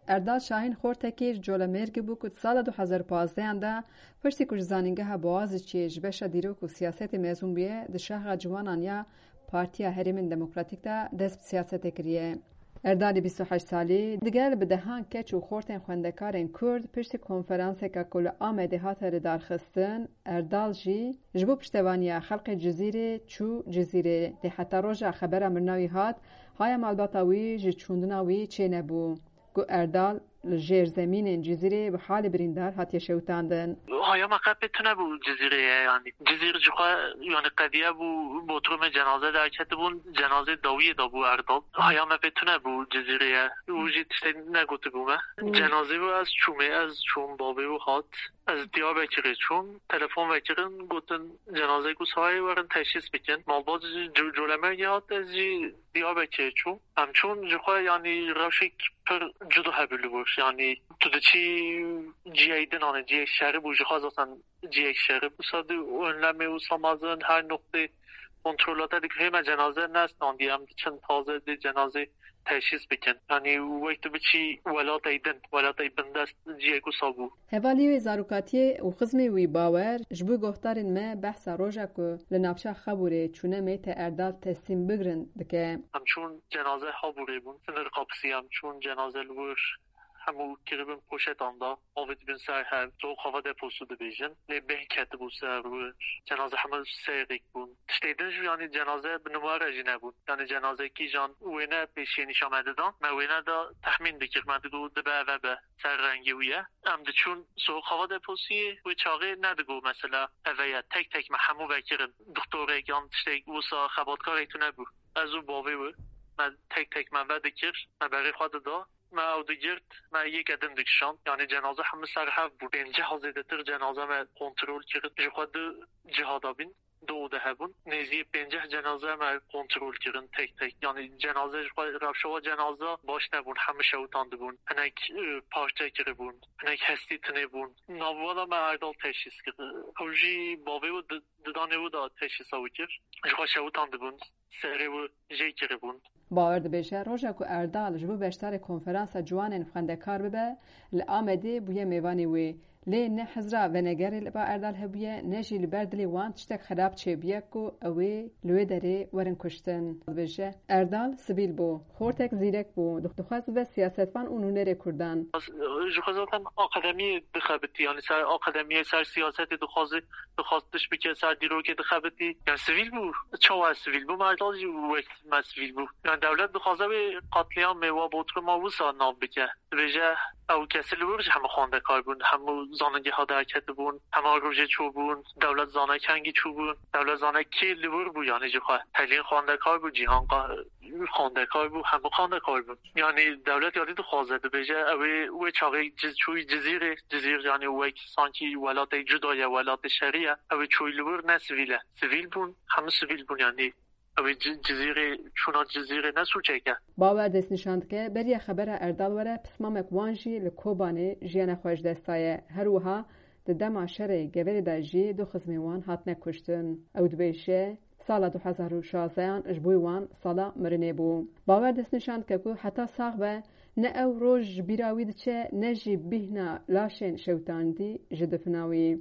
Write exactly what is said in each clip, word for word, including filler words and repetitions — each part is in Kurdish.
Erdal Şahîn Xortekî ji Colemêrgê bû ku di sala du hezar û pazdehan de, piştî ku ji Zanîngeha Boğaziçi'yê ji beşa dîrok û siyasetê mezûn bûye, di Şaxa Ciwanan ya Partiya Herêmên Demokratîk de dest bi siyasetê kiriye. Erdalî bîst û heşt salî, digel bi dehan keç û xortên xwendekarên Kurd, piştî konferanseke ku li Amedê hate lidarxistin, Erdal jî ji bo piştevaniya xelkê Cizîrê çû Cizîrê. Lê heta roja xebera mirina wî hat, haya malbata wî ji çûndina wî çênebû. Ku Erdal li jêr zemînên Cizîrê bi halê birîndar hatiye şewitandin. Haya me qe pê tune bû Cizîrê ye, yanî Cizîr ji xwe, yanî qediye bû, botrumê cenaze derketibûn, cenazê dawiyê dabû Erdal. Haya me pê tune bû Cizîrê ye. Û jî tiştê negotibû me. Hmm. Cenazê wî ez çûmê, ez çûm, bavê wî hat. Ez Diyarbekirê çûm, telefon vekirin, gotin cenazeyê ku sahayê werin teşhîs bikin. Malbat jî Co-, Colemêrgê hat, ez jî Diyarbekirê çûm. Em çûn ji xwe, yanî rewşek pir cuda hebû li wir. Yanî tu diçî cihê din, anî cihê şerî bû, ji xwe zaten cihê şerî bû. Wisa di önlemê wisa mezin, her noqtê kontrola te dikir. Hê me cenaze nestandiye, em diçin taze dê cenazê teşhîs bikin. Yanî wek tu biçî welatê din, welatê bindest cihê wisa bû. Hevalî wê zarokatiyê û xizmê wî Bawer ji bo guhdarên me behsa roja ku li navça Xabûrê çûne meytê Erdal teslîm bigirin dike. Em çûn cenaze Xabûrê bûn, sinir kapısî em çûn cenaze li wir hemû kiribin poşetan da, avêtibin ser hev, soğuk hava deposu dibêjin. Lê bêhn ketibû ser wir, cenaze hemû seyr bûn. Tiştê din jî, yanî cenaze bi numare jî nebûn. Yanî cenaze kîjan wêne pêşiyê nîşa me didan. Me wêne da, tehmîn dikir, me digot dibe eve be, ser rengê wî ye. Em diçûn soğuk hava deposiyê, wê çaxê nedigot mesela eve ye. Tek tek me hemû vekirin. Doktorek yan tiştek wisa xebatkarek tune bû. Ez û bavê wî, me tek tek me vedikir, me berê xwe dida. Me ew digirt, me yêke din dikişand. Yanî cenaze hemû ser hev bû. Pênceh zêdetir cenaze me kontrol kir. Ji xwe du ciha de bîn, du ode hebûn. Nêzî pênceh cenaze me kontrol kirin tek tek. Yanî cenaze ji xwe rewşa cenaze baş nebûn. Hemû şewitandibûn. Hinek, e, parçe kiribûn. Hinek hestî tinê bûn. Navbera me Erdal teşhîs kir. Ew jî bavê wî di-, didanê wî de teşhîsa wî kir. Ji xwe şewitandibûn. Serê wî jê kiribûn. Bawer dibêje, roja ku Erdal ji bo beşdarê konferansa ciwanên xwendekar bibe, li Amedê bûye mêvanê wê. Lê ne hizra venegerê li ba Erdal hebûye, ne jî li ber dilê wan tiştek xerab çêbûye ku ew ê li wê derê werin kuştin. Dibêje, Erdal sivîl bû, xortek zîrek bû, dixwest bibe siyasetvan û nûnerê Kurdan. Ji xwe zaten akademiyê dixebitî, yanî ser akademiyê, ser siyasetê dixwazî, dixwest tişt bike, ser dîrokê dixebitî. Yanî sivîl bû. Çawa sivîl bû? Erdal jî wek me sivîl bû. Yanî dewlet dixwaze wê qetlîamê wa Bodruma wisa nav bike. Dibêje ew kesî li wir jî hemû xwendekar bûn, hemû zanîngeha derketibûn, hema rojê çûbûn, dewlet zane kengî çûbûn, dewlet zane kê li wir bû, yanî ji xwe. Telîn xwendekar bû, Cîhan Qa-, xwendekar bû, hemû xwendekar bûn. Yanî dewlet yadî dixwaze, dibêje ew ê wê çaxê Ciz-, çûyî Cizîrê, Cizîr yanî wek sankî welatê cuda ye, welatê şerî ye, ew ê çûyî li wir ne sivîl e. Sivîl bûn, hemû sivîl bûn yanî. Ew ê Ci-, Cizîrê, çûna Cizîrê ne sûcek e. Bawer destnîşan dike, beriya xebera Erdal were pismamek wan jî li Kobanê jiyana xwe ji dest daye. Her wiha di dema şerê Geverê de jî du xizmên wan hatine kuştin. Ew dibêje, sala du hezar û şazdehan ji bo wan sala mirinê bû. Bawer destnîşan dike ku heta sax be, ne ew roj ji bîra wî diçe, ne jî bîhna laşên şewitandî ji difina wî.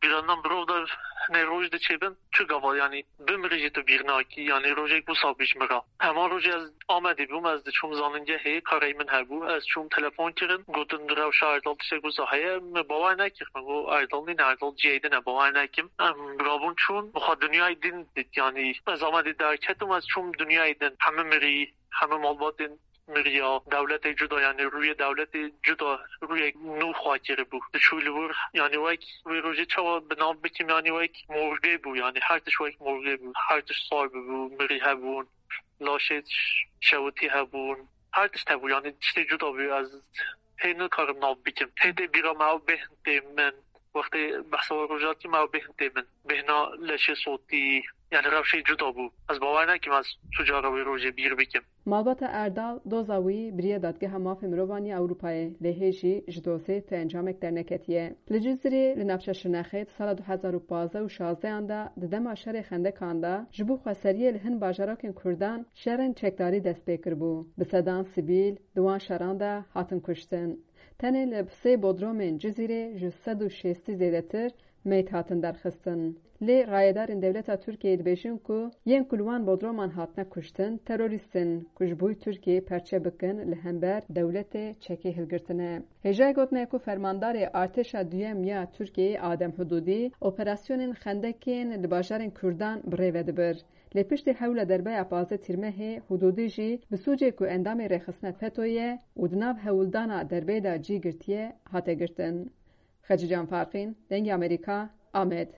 Bîra nan mirov de hinê roj diçe bin, çi gava, yanî bimirî jî tu bîr nakî, yanî rojek wisa bî ji min re. Hema rojê ez Amedê bûm, ez diçûm zanîngehê, karê min hebû, ez çûm telefon kirin, gotin di rewşa Erdal tiştek wisa heye, min bawer nekir, min got Erdal nîne, Erdal cihê din e, bawer nekim. Em rabûn çûn, min xwe dinyayê din dît, yanî ez Amedê derketim, ez çûm dinyayê din, hemû mirî, hemû malbatên miriya, dewletê cuda, yanî rûyê dewletê cuda, rûyek nû xwe kiribû. Diçû li wir, yanî wek wê rojê çawa bi nav bikim, yanî wek morgê bû, yanî her tişt wek morgê bû. Her tişt sar bû, mirî hebûn, laşê ş-, şewitî hebûn. Her tişt hebû, yanî tiştê cuda bû. Ez hê nikarim nav bikim. Hê tê bîra me ew bêhn tê min. Wextê behsa we rojatî me ew bêhn tê min. Bêhna leşê sotî, Yani rewşê cuda bû. Ez bawer nekim ez tu cara wê rojê bîr bikim. Malbata Erdal doza wî biriye Dadgeha Mafê Mirovan ya Ewropayê, lê hê jî ji dozê ti encamek derneketiye. Li Cizirê li navça Şirnexê di sala du hezar û pazdeh û şazdehan de di dema şerê xendekan de ji bo xweseriyê li hin bajarakên Kurdan şerên çekdarî dest pê kiribû. Bi sedan sivîl di wan şeran de hatin kuştin. Tenê li sê bodromên Cizîrê ji sed û şêstî zêdetir meyt hatin derxistin. Lê rayedarên dewleta Tirkiyeyê dibêjin ku yên ku li wan bodroman hatine kuştin terorîst in ku ji bo Tirkiyeyê perçe bikin li hember dewletê çekê hilgirtine. Hêjayê gotine ku fermandarê artêşa duyem ya Tirkiyeyê Adem Hududî operasyonên xendekên li bajarên Kurdan bi rê ve dibir. Lê piştî hewla derbeya pazdeh Tîrmehê Hududî jî bi sûcê ku endamê rêxistina FETO ye û di nav hewldana derbeyê de cî girtiye hate girtin. Xecîcan Farqîn, Dengê Amerîka, Amed.